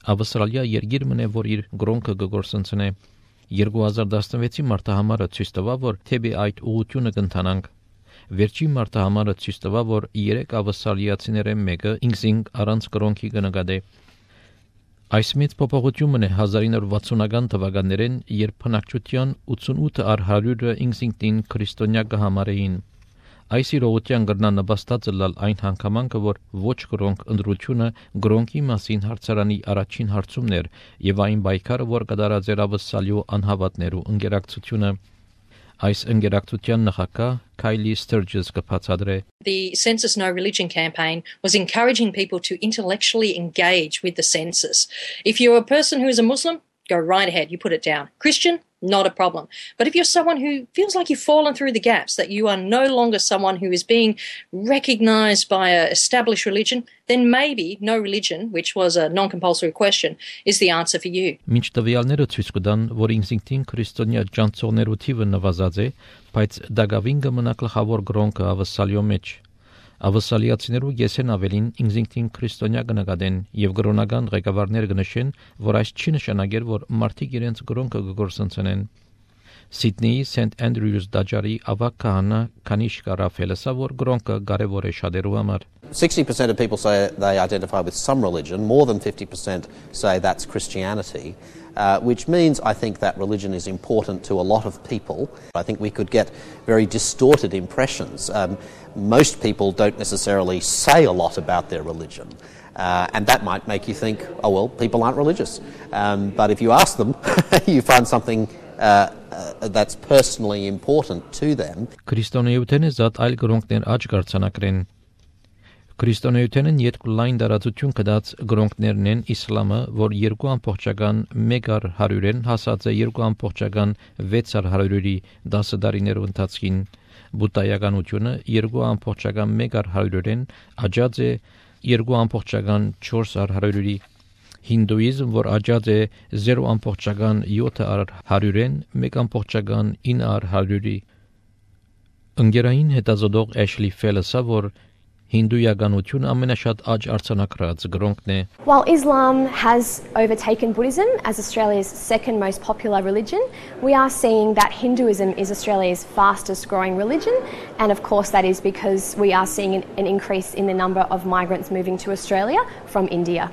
Ավստրալիա երկիր մնե, որ իր գրոնքը կգործընծնե։ 2016-ի մարտահամարը ցույց տվավ, որ թեպի այդ ուղղությունը կընթանանք։ Վերջին մարտահամարը ցույց տվավ, որ 3 ավստրալիացիներեն մեկը ինքզինք առանց գրոնքի կնկատե։ Այս մեծ փոփոխությունն է 1960-ական թվականներին, երբ բնակչության 88%-ը ինքզինքին քրիստոնյա կհամարեին։ Այս իրողության գրնանպաստածը լալ այն հանգամանքը, որ ոչ գրոնք ընդրությունը գրոնքի մասին հարցարանի առաջին հարցումն էր եւ այն պայքարը, որ կդարած էր ավսալյու անհավատներու ընկերակցությունը։ Այս ընկերակցության նախագահ Kylie Sturgis կբացատրե. The Census No Religion campaign was encouraging people to intellectually engage with the census. If you're a person who is a Muslim, go right ahead, you put it down. Christian, not a problem. But if you're someone who feels like you've fallen through the gaps, that you are no longer someone who is being recognized by an established religion, then maybe no religion, which was a non-compulsory question, is the answer for you. Մինչ տվյալները ցույց կտան, որ ինքնին քրիստոնյա ջանցողներու թիվը նվազած է, բայց դակավին կմնա գլխավոր գրոնքը ավսալյո մեջ։ Ավսալիացիներու եսեն ավելին ինքնին քրիստոնյա կնկատեն եւ գրոնական ղեկավարներ կնշեն, որ այս չի նշանակեր, որ մարդիկ իրենց գրոնքը կգործընծեն։ Սիդնեի Սենթ Անդրյուս դաջարի ավակ քահանա Կանիշկա Ռաֆելեսը, որ գրոնքը կարևոր է շատերու համար։ 60% of people say they identify with some religion, more than 50% say that's Christianity, which means I think that religion is important to a lot of people. I think we could get very distorted impressions. Most people don't necessarily say a lot about their religion, and that might make you think, oh well, people aren't religious. But if you ask them, you find something that's personally important to them. Քրիստոնեութենը զատ այլ գրոնքներ աճ կարծանակրեն։ Քրիստոնեութենն երկու լայն դարածություն կդած գրոնքներն են իսլամը, որ 2.100-ին հասած է 2.6-ի 10 դարիներու ընթացքին, բուդդայականությունը 2.1-ին աճած է 2.4-ի, հինդուիզմ, որ աճած է 0.7-ին 1.9-ի։ Ընկերային հետազոտող Ashley Fellesը, որ հինդուականությունը ամենաշատ աճ արձանագրած գրոնքն է։ While Islam has overtaken Buddhism as Australia's second most popular religion, we are seeing that Hinduism is Australia's fastest growing religion, and of course that is because we are seeing an increase in the number of migrants moving to Australia from India.